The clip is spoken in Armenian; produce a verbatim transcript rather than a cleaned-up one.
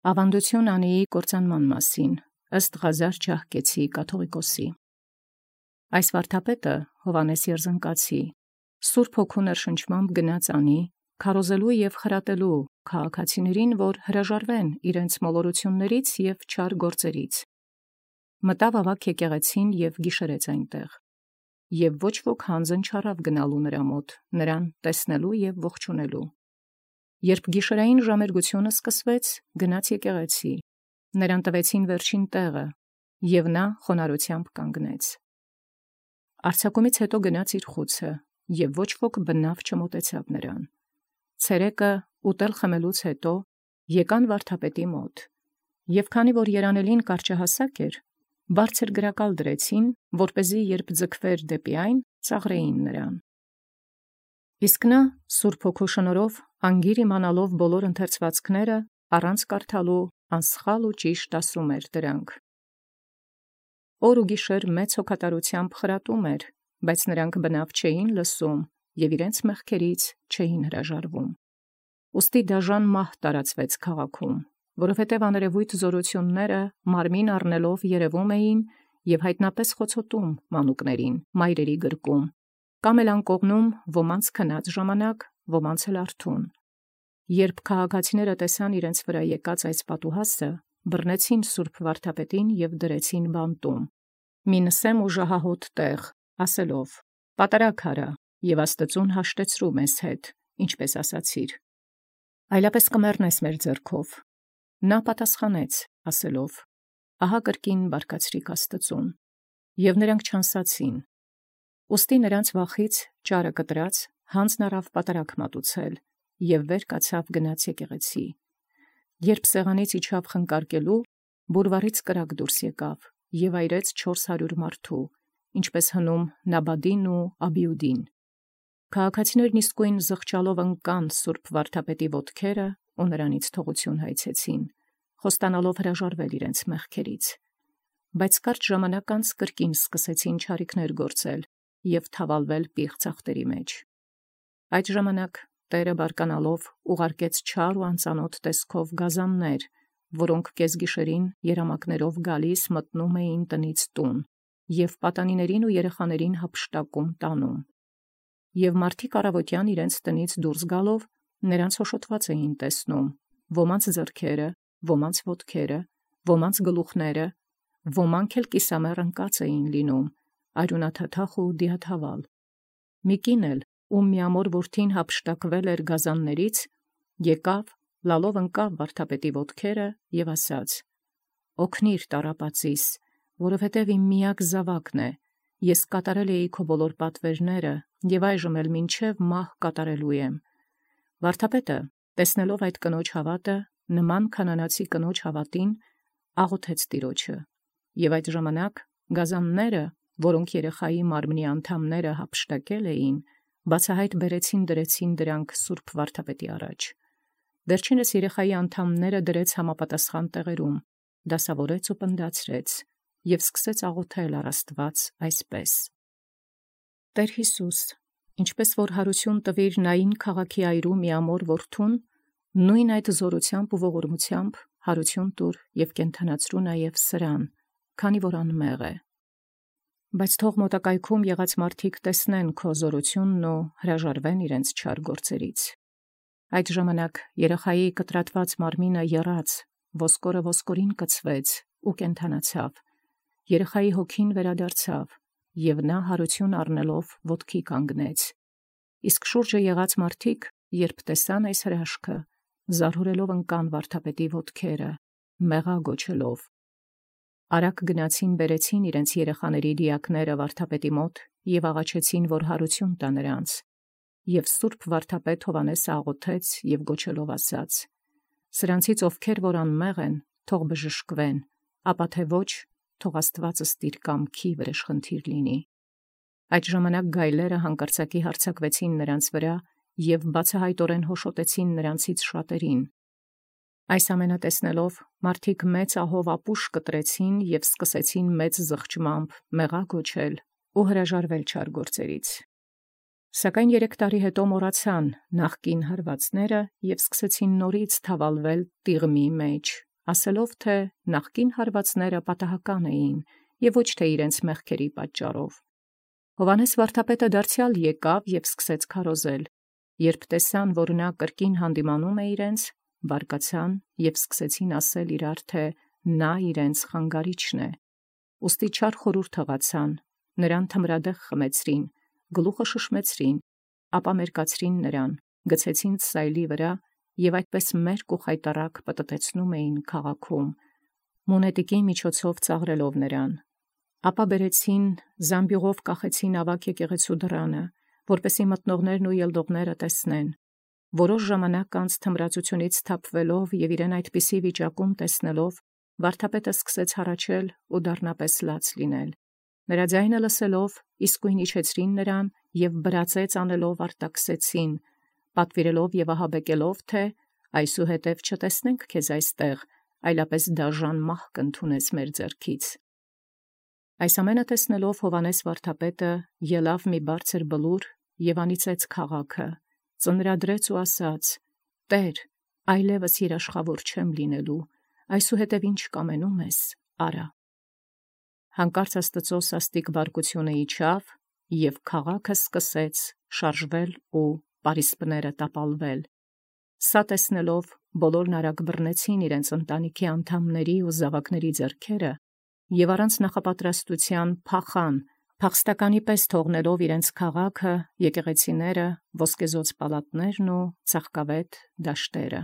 Ավանդություն Անիի կործանման մասին ըստ Ղազար Ջահկեցի կաթողիկոսի։ Այս վարդապետը Հովհաննես Երզնկացի Սուրբ Հոգու ներշնչմամբ գնաց անի, քարոզելու և խրատելու քաղաքացիներին, որ հրաժարվեն իրենց մոլորություններից և չար գործերից։ Մտավ ավագ եկեղեցին և գիշերեց այնտեղ, և ոչ ոք հանձն չառավ գնալու նրա մոտ, նրան տեսնելու և ողջունելու։ Երբ գիշերային ժամերգությունը սկսվեց, գնաց եկեղեցի, նրան տվեցին վերջին տեղը, և նա խոնարհությամբ կանգնեց։ Արձակումից հետո գնաց իր խուցը, և ոչ ոք բնավ չմոտեցավ նրան։ Ցերեկը ուտել խմելուց հետո եկան վարդապետի մոտ, և քանի որ երանելին կարճահասակ էր, բարձր գրակալ դրեցին, որպեսզի երբ ձգվեր դեպի այն, ծաղրեին նրան։ Իսկ նա Սուրբ Հոգու շնորհով անգիր իմանալով բոլոր ընթերցվածքները, առանց կարդալու անսխալ ու ճիշտ ասում էր դրանք։ Օր ու գիշեր մեծ հոգատարությամբ խրատում էր, բայց նրանք բնավ չէին լսում և իրենց մեղքերից չէին հրաժարվում։ Ուստի դաժան մահ տարածվեց քաղաքում, որովհետև աներևույթ զորությունները մարմին առնելով երևում էին և հայտնապես խոցոտում մանուկներին, մայրերի գրկում, կամ էլ անկողնում ոմանց քնած ժամանակ, ոմանց էլ արթուն։ Երբ քաղաքացիները տեսան իրենց վրա եկած այս պատուհասը, բռնեցին սուրբ վարդապետին և դրեցին բանտում, մի նսեմ ու ժահահոտ տեղ, ասելով. «Պատարագ արա, և Աստծուն հաշտեցրու մեզ հետ, ինչպես ասացիր. այլապես կմեռնես մեր ձեռքով»։ Նա պատասխանեց, ասելով. «Ահա կրկին բարկացրիք Աստծուն»։ Եվ նրանք չանսացին։ Ուստի նրանց վախից ճարը կտրած հանձն առավ պատարագ մատուցել, և վեր կացավ գնաց եկեղեցի։ Երբ սեղանից իջավ խնկարկելու, բուրվարից կրակ դուրս եկավ և այրեց չորս հարյուր մարդու, ինչպես հնում Նաբադին ու Աբիուդին։ Քաղաքացիներն իսկույն զղջալով ընկան սուրբ վարդապետի ոտքերը ու նրանից թողություն հայցեցին, խոստանալով հրաժարվել իրենց մեղքերից։ Բայց կարճ ժամանակ անց կրկին սկսեցին չարիքներ գործել և թավալվել պիղծ ծախտերի մեջ։ Այդ ժամանակ Տերը բարկանալով ուղարկեց չար ու անծանոթ տեսքով գազաններ, որոնք կեսգիշերին երամակներով գալիս մտնում էին տնից տուն և պատանիներին ու երեխաներին հափշտակում տանում։ Եվ մարդիկ առավոտյան իրենց տնից դուրս գալով նրանց հոշոտված էին տեսնում, ոմանց ձեռքերը, ոմանց ոտքերը, ոմանց գլուխները, ոմանք էլ կիսամեռ ընկած էին լինում, արյունաթաթախ ու դիաթավալ։ Մի կին էլ, ում միամոր որդին հափշտակվել էր գազաններից, եկավ, լալով ընկավ վարդապետի ոտքերը և ասաց. «Օգնիր տառապածիս, որովհետև իմ միակ զավակն է, ես կատարել էի քո բոլոր պատվերները և այժմ էլ մինչև մահ կատարելու եմ»։ Վարդապետը, տեսնելով այդ կնոջ հավատը, նման քանանացի կնոջ հավատին, աղոթեց Տիրոջը, և այդ ժամանակ գազանները, որոնք երեխայի մարմնի անդամները հափշտակել էին, բացահայտ բերեցին դրեցին դրանք սուրբ վարդապետի առաջ։ Վերջինս երեխայի անդամները դրեց համապատասխան տեղերում, դասավորեց ու պնդացրեց և սկսեց աղոթել առ Աստված այսպես. «Տեր Հիսուս, ինչպես որ հարություն տվիր Նային քաղաքի այրու միամոր որդուն, նույն այդ զորությամբ ու ողորմությամբ հարություն տուր և կենդանացրու նաև սրան, քանի որ անմեղ է։ Բայց թող մոտակայքում եղած մարդիկ տեսնեն քո զորությունն ու հրաժարվեն իրենց չար գործերից»։ Այդ ժամանակ երեխայի կտրատված մարմինը եռաց, ոսկորը ոսկորին կցվեց ու կենդանացավ, երեխայի հոգին վերադարձավ, և նա հարություն առնելով ոտքի կանգնեց։ Իսկ շուրջը եղած մարդիկ, երբ տեսան այս հրաշքը, զարհուրելով ընկան վարդապետի ոտքերը, մեղա գոչելով։ Արագ գնացին բերեցին իրենց երեխաների դիակները վարդապետի մոտ և աղաչեցին, որ հարություն տա նրանց։ Եվ սուրբ վարդապետ Հովհաննեսը աղոթեց և գոչելով ասաց. «Սրանցից ովքեր որ անմեղ են, թող բժշկվեն, ապա թե ոչ, թող Աստվածը ստիր կամքի վրեժխնդիր լինի»։ Այդ ժամանակ գայլերը հանկարծակի հարձակվեցին նրանց վրա և բացահայտորեն հոշոտեցին նրանցից շատերին։ Այս ամենը տեսնելով, մարդիկ մեծ ահով ապուշ կտրեցին և սկսեցին մեծ զղջմամբ մեղա գոչել ու հրաժարվել չար գործերից։ Սակայն երեք տարի հետո մոռացան նախկին հարվածները և սկսեցին նորից թավալվել տիղմի մեջ ասելով թե նախկին հարվածները պատահական էին եւ ոչ թե իրենց մեղքերի պատճառով։ Հովհաննես վարդապետը դարձյալ եկավ եւ սկսեց քարոզել։ Երբ տեսան, որ նա կրկին հանդիմանում է իրենց, բարկացան եւ սկսեցին ասել իրար, թե նա իրենց խանգարիչն է։ Ուստի չար խորհուրդ հղացան, նրան թմրադեղ խմեցրին, գլուխը շշմեցրին, ապա մերկացրին նրան, գցեցին սայլի վրա եւ այդպես մերկ ու խայտառակ պտտեցնում էին քաղաքում, մունետիկի միջոցով ծաղրելով նրան։ Ապա բերեցին զամբյուղով կախեցին ավագ եկեղեցու դռանը, որպեսզի մտնողներն ու ելնողները տեսնեն։ Որոշ ժամանակ անց թմրածությունից թափվելով եւ իրեն այդպիսի վիճակում տեսնելով, վարդապետը սկսեց հառաչել ու դառնապես լաց լինել։ Նրա ձայնը լսելով, իսկույն իջեցրին նրան եւ բրածեց անելով արտաքսեցին, պատվիրելով եւ ահաբեկելով, թե այսուհետև չտեսնենք քեզ այստեղ, այլապես դաժան մահ կընդունես մեր ձեռքից։ Այս ամենը տեսնելով Հովհաննես վարդապետը ելավ մի բարձր բլուր եւ անիծեց քաղաքը, ծնրադրեց ու ասաց. «Տեր, այլևս երաշխավոր չեմ լինելու, այսուհետև ինչ կամենում ես, արա»։ Հանկարծ Աստծո սաստիկ բարկությունը իջավ, եւ քաղաքը սկսեց շարժվել ու պարիսպները տապալվել։ Սա տեսնելով բոլորն արագ բռնեցին իրենց ընտանիքի անդամների ու զավակների ձեռքերը եւ առանց նախապատրաստության փախան, փախստականի պես թողնելով իրենց քաղաքը, եկեղեցիները, ոսկեզօծ պալատներն ու ծաղկավետ դաշտերը։